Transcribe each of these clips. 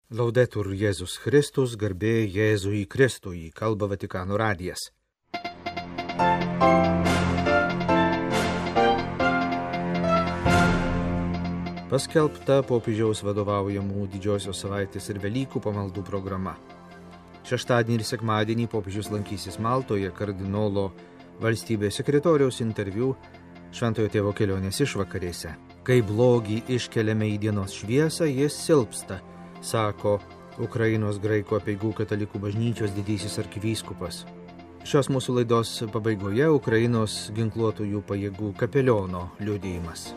Laudetur Jėzus Kristus, garbė Jėzui Kristui, kalba Vatikano radijas. Paskelbta popiežiaus vadovaujamų Didžiosios savaitės ir Velykų pamaldų programa. Šeštadienį ir sekmadienį popiežius lankysis Maltoje kardinolo valstybės sekretoriaus interviu Šventojo Tėvo kelionės išvakarėse. Kai blogį iškeliame į dienos šviesą, jis silpsta, sako Ukrainos graikų apeigų katalikų bažnyčios didysis arkivyskupas. Šios mūsų laidos pabaigoje Ukrainos ginkluotųjų pajėgų kapeliono liudijimas.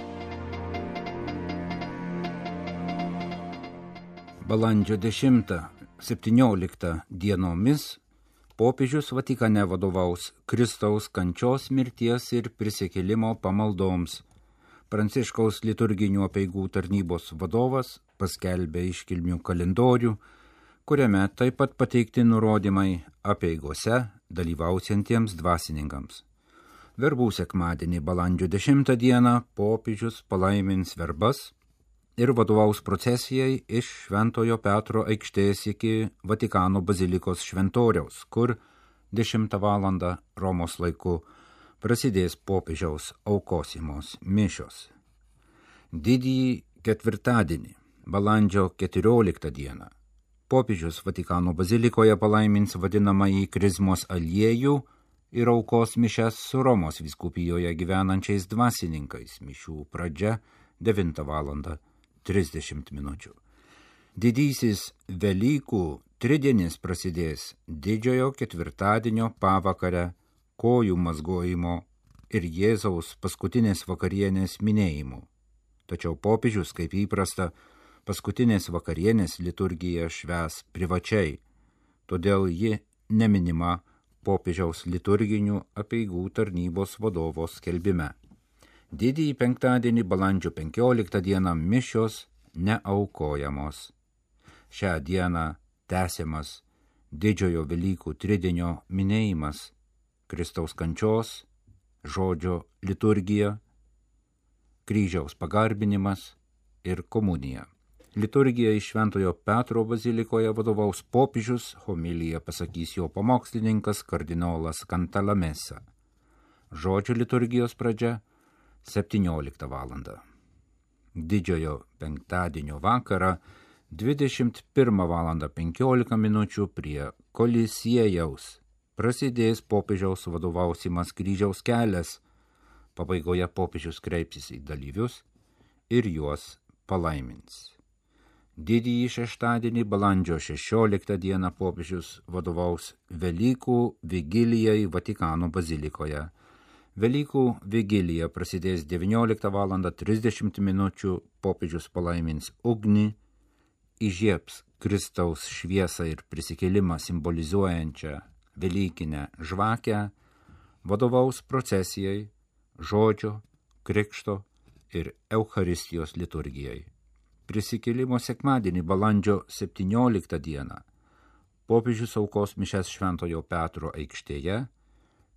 Balandžio 10-17 dienomis popiežius Vatikane vadovaus Kristaus kančios, mirties ir prisikėlimo pamaldoms. Pranciškaus liturginių apeigų tarnybos vadovas paskelbė iškilmių kalendorių, kuriame taip pat pateikti nurodymai apeigose dalyvausiantiems dvasininkams. Verbų sekmadienį balandžio 10 dieną popiežius palaimins verbas ir vadovaus procesijai iš Šventojo Petro aikštės iki Vatikano bazilikos šventoriaus, kur 10 valandą Romos laiku prasidės popiežiaus aukosimos mišios. Didįjį ketvirtadienį, balandžio 14 dieną, popiežius Vatikano bazilikoje palaimins vadinamąjį krizmos aliejų ir aukos mišias su Romos vyskupijoje gyvenančiais dvasininkais. Mišių pradžia 9 valandą 30 minučių. Didysis Velykų tridienis prasidės didžiojo ketvirtadienio pavakarę kojų mazgojimo ir Jėzaus paskutinės vakarienės minėjimu. Tačiau popiežius, kaip įprasta, paskutinės vakarienės liturgiją švęs privačiai, todėl ji neminima popiežiaus liturginių apeigų tarnybos vadovo skelbime. Didįjį penktadienį balandžio 15 dieną mišios neaukojamos. Šią dieną tęsiamas didžiojo Velykų tridienio minėjimas, Kristaus kančios, žodžio liturgija, kryžiaus pagarbinimas ir komunija. Liturgija iš Šventojo Petro bazilikoje vadovaus popiežius, homiliją pasakys jo pamokslininkas kardinolas Cantalamessa. Žodžio liturgijos pradžia 17 valandą. Didžiojo penktadienio vakarą 21 valandą 15 minučių prie Kolisiejaus prasidės popiežiaus vadovausimas kryžiaus kelias. Pabaigoje popiežius kreipsis į dalyvius ir juos palaimins. Didįjį šeštadienį balandžio 16 dieną popiežius vadovaus Velykų vigilijai Vatikano bazilikoje. Velykų vigilija prasidės 19 valandą 30 minučių, popiežius palaimins ugnį, įžiebs Kristaus šviesą ir prisikėlimą simbolizuojančią Velykinę žvakę, vadovaus procesijai, žodžio, krikšto ir Eucharistijos liturgijai. Prisikėlimo sekmadienį balandžio 17 dieną popiežius aukos mišias Šventojo Petro aikštėje,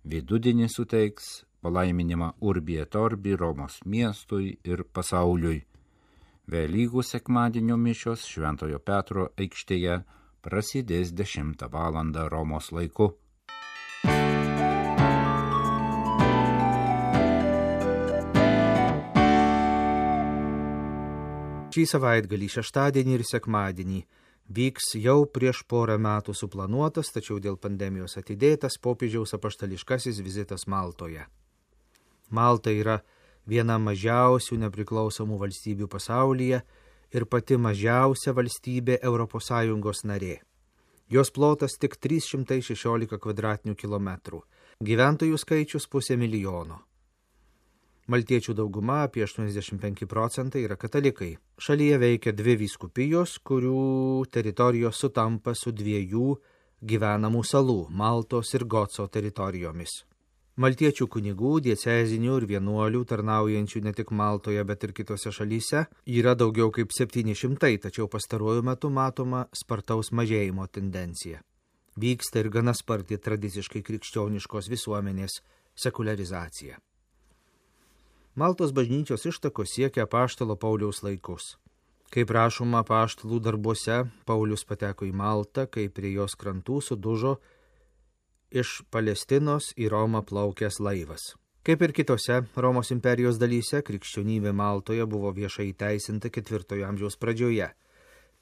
vidudienį suteiks palaiminimą Urbi et Orbi Romos miestui ir pasauliui. Velykų sekmadienio mišios Šventojo Petro aikštėje prasidės 10 valandą Romos laiku. Šį savaitgalį, šeštadienį ir sekmadienį vyks jau prieš porą metų suplanuotas, tačiau dėl pandemijos atidėtas popiežiaus apaštališkasis vizitas Maltoje. Malta yra viena mažiausių nepriklausomų valstybių pasaulyje ir pati mažiausia valstybė ES narė. Jos plotas tik 316 kvadratinių kilometrų, gyventojų skaičius 500 000. Maltiečių dauguma, apie 85%, yra katalikai. Šalyje veikia 2 vyskupijos, kurių teritorijos sutampa su 2 gyvenamų salų – Maltos ir Goco teritorijomis. Maltiečių kunigų, diecezinių ir vienuolių, tarnaujančių ne tik Maltoje, bet ir kitose šalyse, yra daugiau kaip 700, tačiau pastaruoju metu matoma spartaus mažėjimo tendencija. Vyksta ir gana sparti tradiciškai krikščioniškos visuomenės sekuliarizacija. Maltos bažnyčios ištakos siekia apaštalo Pauliaus laikus. Kaip rašoma apaštalų darbuose, Paulius pateko į Maltą, kai prie jos krantų sudužo iš Palestinos į Romą plaukęs laivas. Kaip ir kitose Romos imperijos dalyse, krikščionybė Maltoje buvo viešai įteisinta 4 amžiaus pradžioje.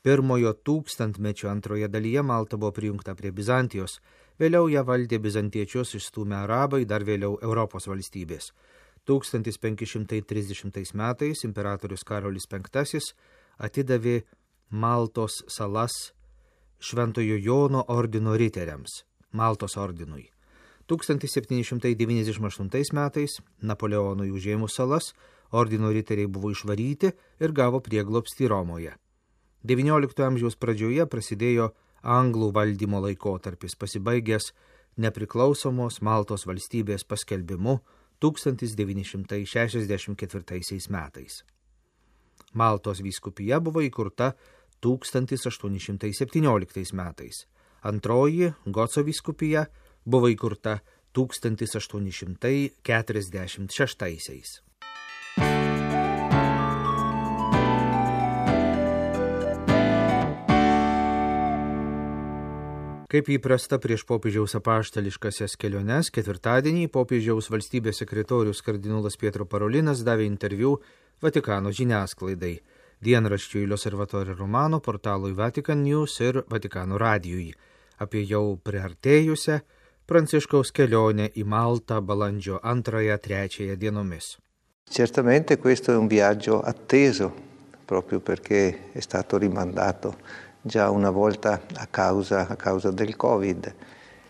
Pirmojo tūkstantmečio antroje dalyje Malta buvo prijungta prie Bizantijos, vėliau ją valdė bizantiečius išstūmę arabai, dar vėliau Europos valstybės. 1530 metais imperatorius Karolis V atidavė Maltos salas Šventojo Jono ordino riteriams, Maltos ordinui. 1798 metais Napoleonui užėmus salas, ordino riteriai buvo išvaryti ir gavo prieglobstį Romoje. XIX amžiaus pradžioje prasidėjo anglų valdymo laikotarpis, pasibaigęs nepriklausomos Maltos valstybės paskelbimu 1964 metais. Maltos vyskupija buvo įkurta 1817 metais. Antroji Goco vyskupija buvo įkurta 1846. Kaip įprasta prieš popiežiaus apaštališkasias keliones, ketvirtadienį popiežiaus valstybės sekretorius kardinolas Pietro Parolinas davė interviu Vatikano žiniasklaidai, dienraščiui L'Osservatore Romano, portalui Vatican News ir Vatikano radijui apie jau priartėjusią Pranciškaus kelionę į Maltą balandžio 2-3 dienomis. Certamente questo è un viaggio atteso, proprio perché è stato rimandato già una volta a causa del Covid.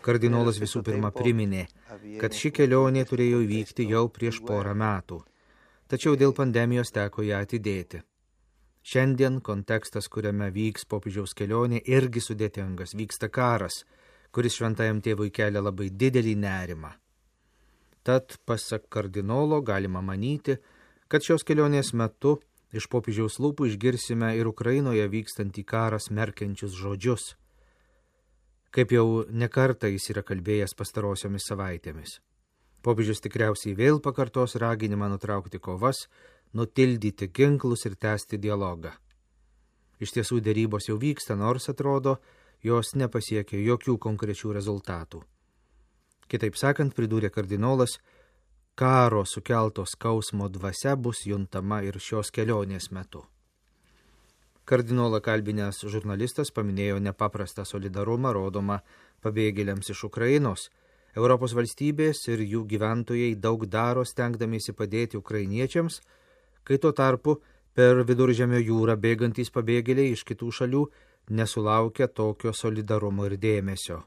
Kardinolas visų pirma priminė, kad ši kelionė turėjo įvykti jau prieš porą metų, tačiau dėl pandemijos teko ją atidėti. Šiandien kontekstas, kuriame vyks popiežiaus kelionė, irgi sudėtingas, vyksta karas, kuris šventajam tėvui kelia labai didelį nerimą. Tad, pasak kardinolo, galima manyti, kad šios kelionės metu iš popiežiaus lūpų išgirsime ir Ukrainoje vykstantį karą smerkiančius žodžius, kaip jau nekartą jis yra kalbėjęs pastarosiomis savaitėmis. Popiežius tikriausiai vėl pakartos raginimą nutraukti kovas, nutildyti ginklus ir tęsti dialogą. Iš tiesų derybos jau vyksta, nors atrodo, jos nepasiekė jokių konkrečių rezultatų. Kitaip sakant, pridūrė kardinolas, karo sukelto skausmo dvasia bus juntama ir šios kelionės metu. Kardinolą kalbinęs žurnalistas paminėjo nepaprastą solidarumą rodomą pabėgėliams iš Ukrainos. Europos valstybės ir jų gyventojai daug daro stengdamiesi padėti ukrainiečiams, kai tuo tarpu per Viduržemio jūrą bėgantys pabėgėliai iš kitų šalių nesulaukia tokio solidarumo ir dėmesio.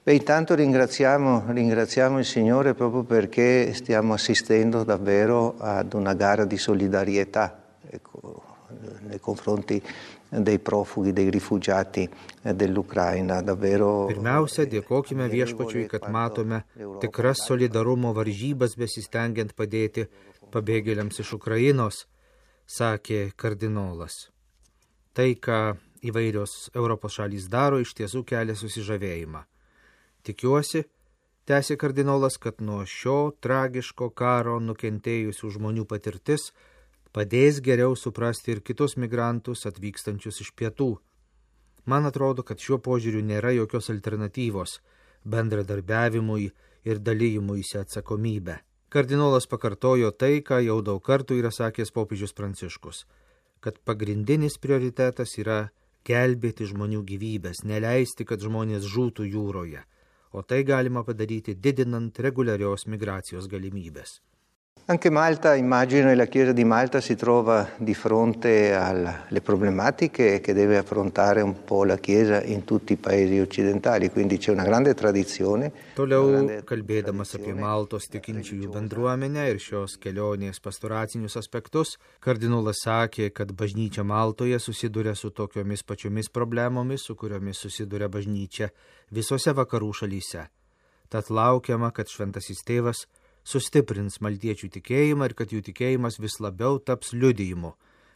Intanto ringraziamo il Signore proprio perché stiamo assistendo davvero ad una gara di solidarietà nei confronti dei profughi, dei rifugiati dell'Ucraina. Davvero. Pirmiausia, dėkokime viešpačiui, kad matome tikras solidarumo varžybas besistengiant padėti pabėgėliams iš Ukrainos, sakė kardinolas. Tai, ką įvairios Europos šalys daro, iš tiesų kelia susižavėjimą. Tikiuosi, tęsė kardinolas, kad nuo šio tragiško karo nukentėjusių žmonių patirtis padės geriau suprasti ir kitus migrantus atvykstančius iš pietų. Man atrodo, kad šiuo požiūriu nėra jokios alternatyvos bendradarbiavimui ir dalyjimuisi atsakomybę. Kardinolas pakartojo tai, ką jau daug kartų yra sakęs popiežius Pranciškus, kad pagrindinis prioritetas yra gelbėti žmonių gyvybės, neleisti, kad žmonės žūtų jūroje, o tai galima padaryti didinant reguliarios migracijos galimybės. Anche Malta, immagino, e la Chiesa di Malta si trova di fronte alle problematiche che deve affrontare un po' la Chiesa in tutti i paesi occidentali, quindi c'è una grande tradizione. Toliau, kalbėdamas apie Maltos tikinčiųjų bendruomenę ir šios kelionės pastoracinius aspektus, kardinolas sakė, kad bažnyčia Maltoje susiduria su tokiomis pačiomis problemomis, su kuriomis susiduria bažnyčia visose vakarų šalyse. Tad laukiama, kad šventasis tėvas sustiprins maltiečių tikėjimą ir kad jų tikėjimas vis labiau taps liudijimu,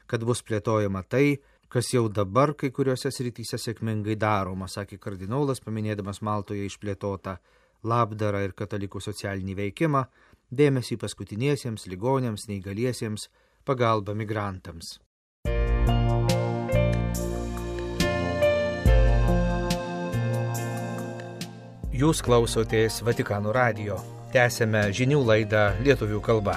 kad bus plėtojama tai, kas jau dabar kai kuriuose srityse sėkmingai daroma, sakė kardinolas, paminėdamas Maltoje išplėtotą labdarą ir katalikų socialinį veikimą, dėmesį paskutiniesiems, ligoniams, neįgaliesiems, pagalbą migrantams. Jūs klausotės Vatikano radijo. Tęsėme žinių laidą lietuvių kalba.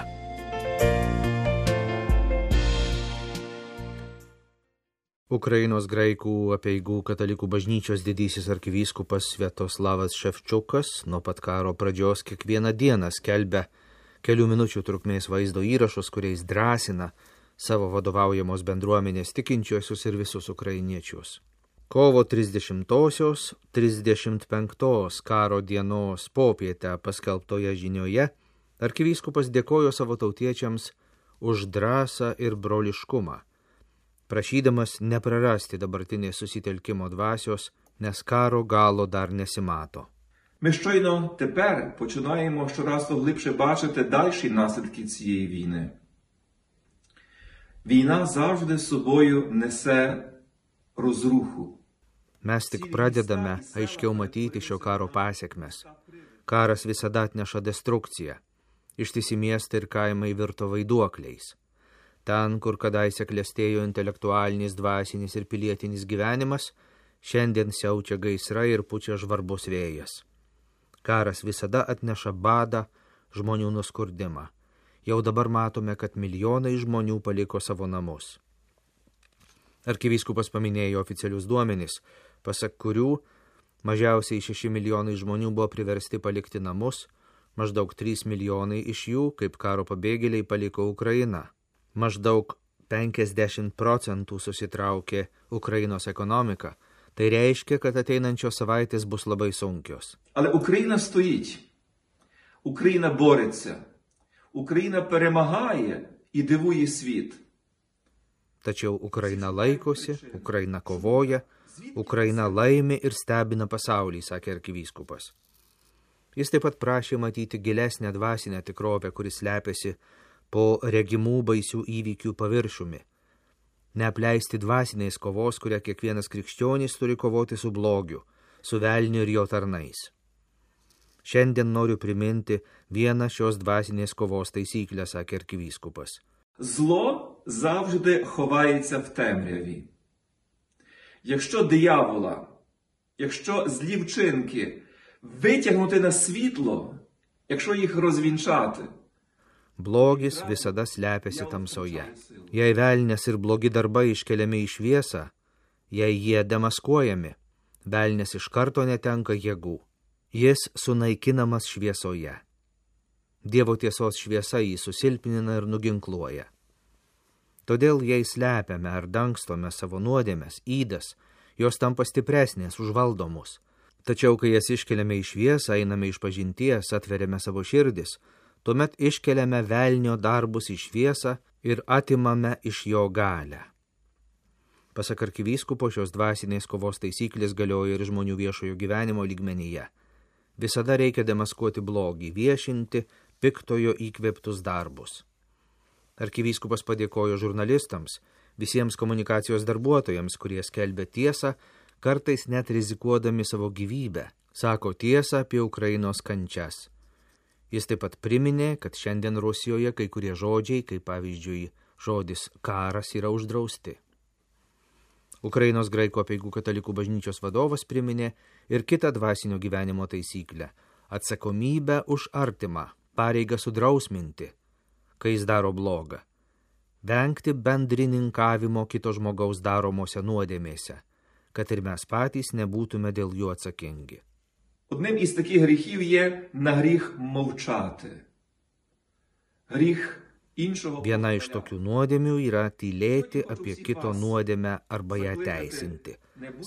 Ukrainos graikų apeigų katalikų bažnyčios didysis arkivyskupas Sviatoslavas Ševčiukas nuo pat karo pradžios kiekvieną dieną skelbia kelių minučių trukmės vaizdo įrašus, kuriais drąsina savo vadovaujamos bendruomenės tikinčiuosius ir visus ukrainiečius. Kovo 30-osios 35 karo dienos popietę paskelbtoje žinioje arkivyskupas dėkojo savo tautiečiams už drąsą ir broliškumą, prašydamas neprarasti dabartinės susitelkimo dvasios, nes karo galo dar nesimato. Ми щойно тепер починаємо щораз глибше бачити дальші наслідки цієї війни. Війна завжди з собою несе розруху. Mes tik pradedame aiškiau matyti šio karo pasiekmes. Karas visada atneša destrukciją. Ištisi miestai ir kaimai virto vaiduokliais. Ten, kur kadaise klestėjo intelektualinis, dvasinis ir pilietinis gyvenimas, šiandien siaučia gaisrai ir pučia žvarbus vėjas. Karas visada atneša badą, žmonių nuskurdimą. Jau dabar matome, kad milijonai žmonių paliko savo namus. Arkivyskupas paminėjo oficialius duomenis, pasak kurių mažiausiai 6 milijonai žmonių buvo priversti palikti namus, maždaug 3 milijonai iš jų, kaip karo pabėgėliai, paliko Ukrainą. Maždaug 50% susitraukė Ukrainos ekonomika. Tai reiškia, kad ateinančios savaitės bus labai sunkios. Але Україна стоїть. Україна бореться. Україна перемагає і дивує світ. Tačiau Ukraina laikosi, Ukraina kovoja, Ukraina laimi ir stebina pasaulį, sakė arkivyskupas. Jis taip pat prašė matyti gilesnę dvasinę tikrovę, kuris slepiasi po regimų baisių įvykių paviršiumi. Neapleisti dvasinės kovos, kurią kiekvienas krikščionis turi kovoti su blogiu, su velniu ir jo tarnais. Šiandien noriu priminti vieną šios dvasinės kovos taisyklę, sakė arkivyskupas. Зло завжди ховається в темряві. Якщо диявола, якщо злі вчинки витягнути на світло, якщо їх розвінчати, Blogis visada slepiasi tamsoje. Jei velnias ir blogi darbai iškeliami į šviesą, jei jie demaskuojami, velnias iš karto netenka jėgų. Jis sunaikinamas šviesoje. Dievo tiesos šviesa jį susilpnina ir nuginkluoja. Todėl, jei slepiame ar dangstome savo nuodėmes, ydas, jos tampa stipresnės, užvaldomus. Tačiau, kai jas iškeliame į šviesą, einame iš pažinties, atveriame savo širdis, tuomet iškeliame velnio darbus į šviesą ir atimame iš jo galią. Pasak arkivyskupo, šios dvasinės kovos taisyklės galioja ir žmonių viešojo gyvenimo lygmenyje. Visada reikia demaskuoti blogį, viešinti piktojo įkvėptus darbus. Arkivyskupas padėkojo žurnalistams, visiems komunikacijos darbuotojams, kurie skelbia tiesą, kartais net rizikuodami savo gyvybę, sako tiesą apie Ukrainos kančias. Jis taip pat priminė, kad šiandien Rusijoje kai kurie žodžiai, kaip pavyzdžiui žodis karas, yra uždrausti. Ukrainos graikų apeigų katalikų bažnyčios vadovas priminė ir kitą dvasinio gyvenimo taisyklę – atsakomybę už artimą, pareigą sudrausminti, kai jis daro blogą, vengti bendrininkavimo kito žmogaus daromose nuodėmėse, kad ir mes patys nebūtume dėl jų atsakingi. Одним із таких гріхів є на гріх мовчати. Гріх іншого... Viena iš tokių nuodėmių yra tylėti apie kito nuodėmę arba ją teisinti,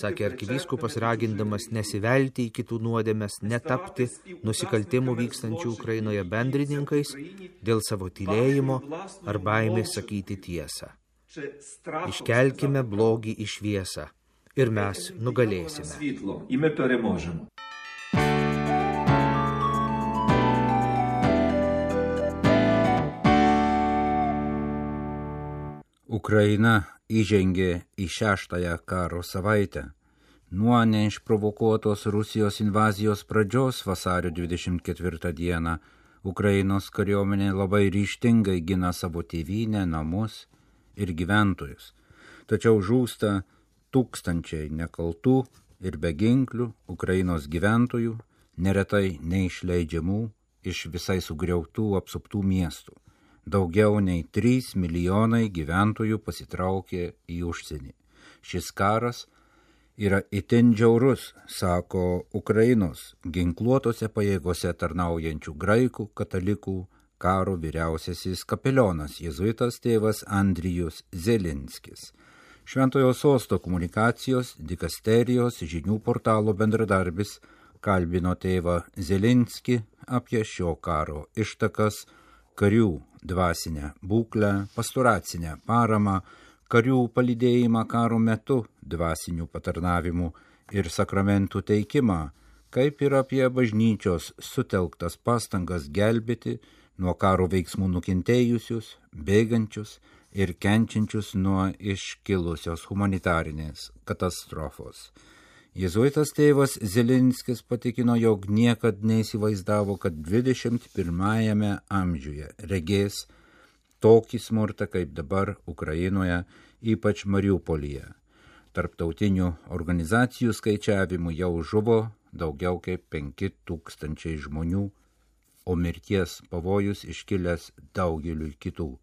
sakė arkivyskupas, ragindamas nesivelti į kitų nuodėmes, netapti nusikaltimų vykstančių Ukrainoje bendrininkais dėl savo tylėjimo ar baimės sakyti tiesą. Iškelkime blogį į šviesą ir mes nugalėsime. І ми переможемо. Ukraina įžengė į 6-ąją karo savaitę. Nuo neišprovokuotos Rusijos invazijos pradžios vasario 24 dieną Ukrainos kariuomenė labai ryžtingai gina savo tėvynę, namus ir gyventojus. Tačiau žūsta tūkstančiai nekaltų ir beginklių Ukrainos gyventojų, neretai neišleidžiamų iš visai sugriautų apsuptų miestų. Daugiau nei 3 milijonai gyventojų pasitraukė į užsienį. Šis karas yra itin žiaurus, sako Ukrainos ginkluotose pajėgose tarnaujančių graikų katalikų karo vyriausiasis kapelionas jėzuitas tėvas Andrijus Zelinskis. Šventojo Sosto komunikacijos dikasterijos žinių portalo bendradarbis kalbino tėvą Zelinskį apie šio karo ištakas, karių dvasinę būklę, pastoracinę paramą, karių palydėjimą karo metu, dvasinių patarnavimų ir sakramentų teikimą, kaip ir apie bažnyčios sutelktas pastangas gelbėti nuo karo veiksmų nukentėjusius, bėgančius ir kenčiančius nuo iškilusios humanitarinės katastrofos. Jėzuitas tėvas Zelinskis patikino, jog niekad neįsivaizdavo, kad 21 amžiuje regės tokį smurtą kaip dabar Ukrainoje, ypač Mariupolyje. Tarptautinių organizacijų skaičiavimų jau žuvo daugiau kaip 5000 žmonių, o mirties pavojus iškilęs daugeliui kitų.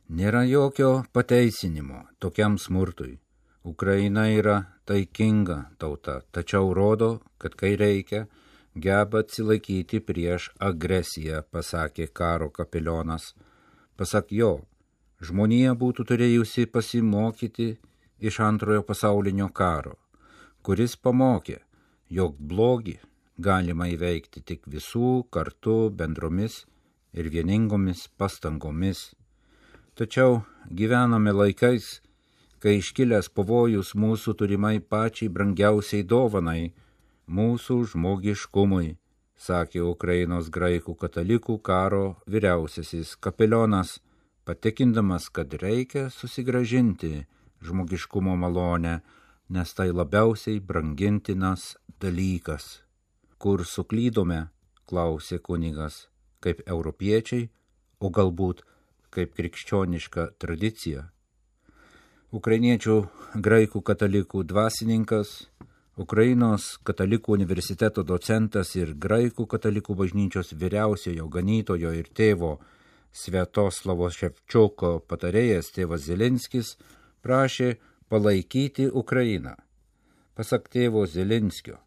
Nėra jokio pateisinimo tokiam smurtui. Ukraina yra taikinga tauta, tačiau rodo, kad kai reikia, geba atsilaikyti prieš agresiją, pasakė karo kapelionas. Pasak jo, žmonija būtų turėjusi pasimokyti iš Antrojo pasaulinio karo, kuris pamokė, jog blogį galima įveikti tik visų kartu bendromis ir vieningomis pastangomis. Tačiau gyvename laikais, kai iškilęs pavojus mūsų turimai pačiai brangiausiai dovanai, mūsų žmogiškumui, sakė Ukrainos graikų katalikų karo vyriausiasis kapelionas, patikindamas, kad reikia susigrąžinti žmogiškumo malonę, nes tai labiausiai brangintinas dalykas. Kur suklydome, klausė kunigas, kaip europiečiai, o galbūt kaip krikščioniška tradicija. Ukrainiečių graikų katalikų dvasininkas, Ukrainos katalikų universiteto docentas ir graikų katalikų bažnyčios vyriausiojo ganytojo ir tėvo Sviatoslavo Ševčiuko patarėjas tėvas Zelinskis prašė palaikyti Ukrainą. Pasak tėvo Zelinskio,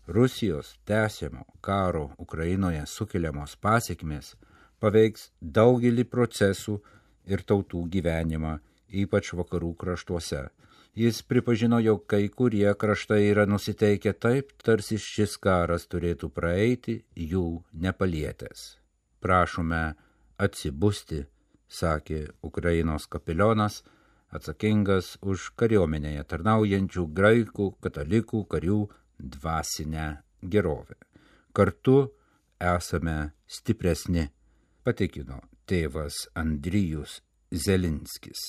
Rusijos tęsiamo karo Ukrainoje sukeliamos pasekmės paveiks daugelį procesų ir tautų gyvenimą, ypač vakarų kraštuose. Jis pripažino, jog kai kurie kraštai yra nusiteikę taip, tarsi šis karas turėtų praeiti jų nepalietęs. Prašome atsibusti, sakė Ukrainos kapelionas, atsakingas už kariuomenėje tarnaujančių graikų katalikų karių dvasinę gerovę. Kartu esame stipresni, patikino tėvas Andrijus Zelinskis.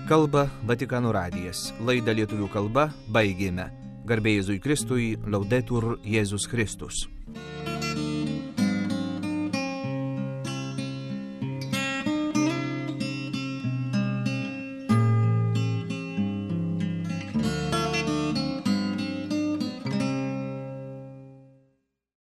Kalba Vatikano radijas. Laidą lietuvių kalba baigėme. Garbė Jėzui Kristui, Laudetur Jėzus Kristus.